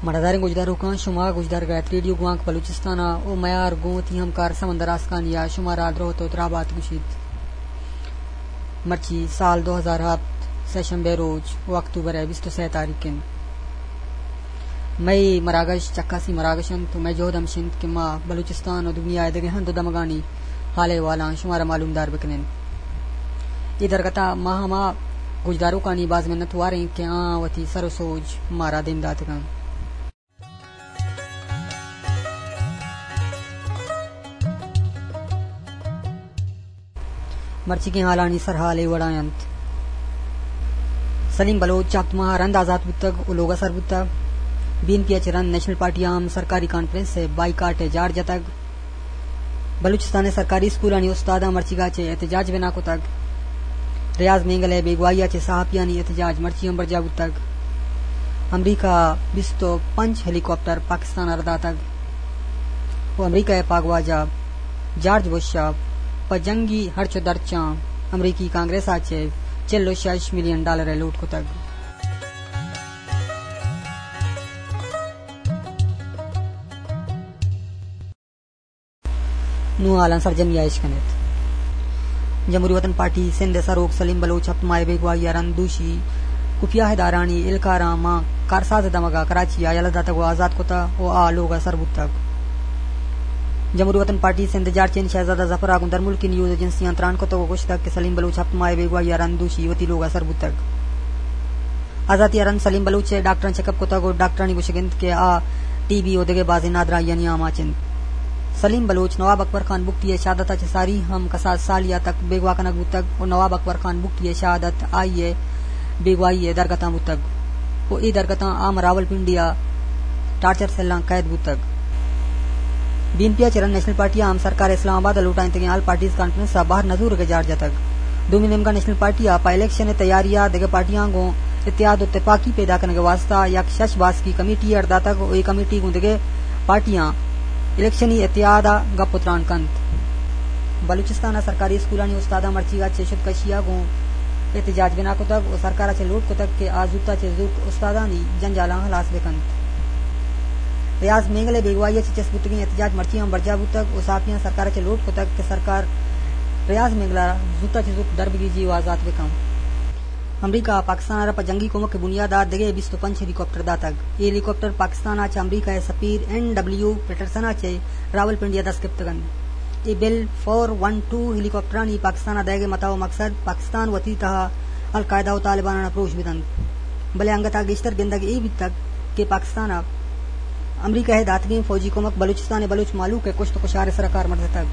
مڑاداریں گوشداروکاں، شما گوشدارگ ءَ ات ریڈیو گوانک بلوچستان ءَ ءُ میار گوں وتی ہمکار سمندر آسکانی ءَ شمارا دروت ءُ دراہ بات گوشیت۔ مرچی سال دو ہزار ہپت، سہ شنبے روچ ءُ اکتوبر ءِ بیست ءُ سئے تاریخ انت۔ مئے مراگش چکاسی مراگش انت ءُ مئے جہد ہمیش انت کہ ما بلوچستان ءُ دنیا ءِ دگہ ہند ءُ دمگانی حال احوالاں شمارا معلومدار بکنیں۔ اے درگت ءَ ما ہما گوشداروکانی باز منت وار ایں کہ آہاں وتی سر ءُ سوج مارا دیم داتگ انت۔ مرچیگیں حالانی سرحال اے وڑا انت۔ سلیم بلوچ ہپت ماہ ءَ رند آزات بوتگ ءُ لوگ ءَ سر بوتگ۔ بی این پی ءَ چہ رند نیشنل پارٹی ءَ ہم سرکاری کانفرنس ءِ بائیکاٹ ءِ جار جتگ۔ بلوچستان ءِ سرکاری اسکولانی استاداں مرچیگا چہ احتجاج بنا کتگ۔ ریاض مینگل ءِ بیگواہی ءَ چہ صحافیانی احتجاج مرچی ہم برجاہ بوتگ۔ امریکہ ءَ بیست ءُ پنچ ہیلی کاپٹر پاکستان ءَ را داتگ ءُ امریکہ ءِ پاگواجہ جارج بش ءَ پہ جنگی ہرچ ءُ درچاں امریکی کانگریس ءَ چہ چل ءُ شش ملین ڈالر ءِ لوٹ کتگ۔ نوں حالاں سرجمی ءَ اش کن ات۔ جمہوری وطن پارٹی سندھ ءِ سروک سلیم بلوچ ہپت ماہ ءِ بیگواہی ءَ رند دوشی خفیہ ادارھانی اہلکاراں ماں کارساز ءِ دمگ ءَ کراچی ءَ یلہ داتگ ءُ آزات کتگ ءُ آ لوگ ءَ سر بوتگ۔ جمہوری وطن پارٹی سندھ ءِ جارچین شہزادہ ظفر ءَ گوں درملکی نیوز ایجنسیاں تران کتگ ءُ گوشتگ کہ سلیم بلوچ ہپت ماہ ءِ بیگواہی ءَ رند دوشی وتی لوگ ءَ سر بوتگ۔ آزاتی ءَ رند سلیم بلوچ ءِ ڈاکٹراں چیک اپ کتگ ءُ ڈاکٹرانی گوشگ انت کہ آ ٹی بی ءُ دگہ بازیں نادراہیانی آماچ انت۔ سلیم بلوچ نواب اکبر خان بگٹی ءِ شہادت ءَ چہ ساری ہم کساس سالی ءَ تک بیگواہ کنگ بوتگ ءُ نواب اکبر خان بگٹی ءِ شہادت آئی ءِ بیگواہی ءِ درگتاں بوتگ ءُ اے درگتاں آ راولپنڈی ءَ ٹارچر سیلاں قید بوتگ۔ بی این پی ءَ چہ رند نیشنل پارٹی ءَ ہم سرکار اسلام آباد ءَ لوٹائینتگیں آل پارٹیز کانفرنس ءَ بہر نہ زورگ ءِ جار جتگ۔ دومی نیمگا نیشنل پارٹی ءَ پہ الیکشن ءِ تیاری ءَ دگہ پارٹیاں گوں اتحاد ءُ تپاکی پیدا کنگ ءِ واستہ یک شش باسکی کمیٹی اڈ داتگ ءُ اے کمیٹی گوں دگہ پارٹیاں الیکشنی اتحاد ءَ گپ ءُ تران کنت۔ بلوچستان ءِ سرکاری اسکولانی استاداں مرچیگا چہ شدکشی ءَ گوں احتجاج بنا کتگ ءُ سرکار ءَ چہ لوٹ کتگ کہ آ زوت ءَ چہ زوت استادانی جنجالاں ہلاس بہ کنت۔ ریاض مینگل ءِ بیگواہی ءَ چہ چست بوتگیں احتجاج مرچی ہم برجاہ بوتگ ءُ صحافیاں سرکار ءَ چہ لوٹ کتگ کہ سرکار ریاض مینگل ءَ زوت ءَ چہ زوت در بگیجی ءُ آزات بہ کن۔ امریکہ ءَ پاکستان ءَ را پہ جنگی کمک ءِ بنیاد ءَ دگہ بیست ءُ پنچ ہیلی کاپٹر داتگ۔ اے ہیلی کاپٹر پاکستان ءَ چہ امریکہ ءِ سفیر این ڈبلیو پیٹرسن ءَ چہ راولپنڈی ءَ دست گپتگ انت۔ اے بل فور ون ٹو ہیلی کاپٹرانی پاکستان ءَ دئیگ ءِ متاہ ءُ مقصد پاکستان وتی تہا القاعدہ ءُ طالباناں پروش بدنت۔ بلے انگت ءَ گیشتر گندگ اے بیتگ کہ پاکستان ءَ امریکہ ءِ داتگیں فوجی کمک بلوچستان ءِ بلوچ مھلوک ءِ کشت ءُ کشار ءِ سرا کارمرز اتگ۔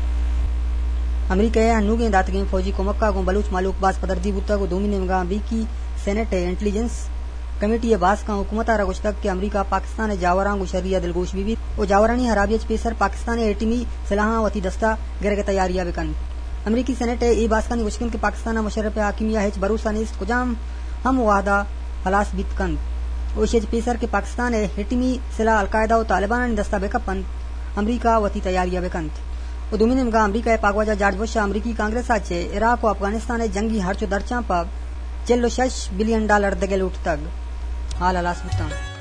امریکہ ءِ ہنوگیں داتگیں فوجی کمک ءَ گوں بلوچ مھلوک باز پدردی بوتگ ءُ دومی نیمگ ءَ امریکی سینیٹ ءِ انٹیلیجنس کمیٹی ءِ باسکاں حکومت ءَ را گوشتگ کہ امریکہ پاکستان ءِ جاوراں گوں شری ءَ دلگوش بہ بیت ءُ جاورانی ہرابی ءَ چہ پیسر پاکستان ءِ ایٹمی سلاہاں وتی دست ءَ گرگ ءِ تیاری ءَ بہ کنت۔ امریکی سینیٹ ءِ اے باسکانی گوشگ انت کہ پاکستان ءَ مشرف ءِ حاکمی ءَ ہچ بھروسہ نیست، کجام ہم وھد ءَ ہلاس بیت کنت ءُ ایشی ءَ چہ پیسر کہ پاکستان ءِ ایٹمی سلاہ القاعدہ ءُ طالبانانی دست ءَ بہ کپ انت، امریکہ وتی تیاری ءَ بہ کنت۔ ءُ دومی نیمگ ءَ امریکہ ءِ پاگواجہ جارج بش ءَ امریکی کانگریس ءَ چہ عراق ءُ افغانستان ءِ جنگی ہرچ ءُ درچاں پہ چل ءُ شش بلین ڈالر دگہ لوٹتگ۔ حال ہلاس بوتاں۔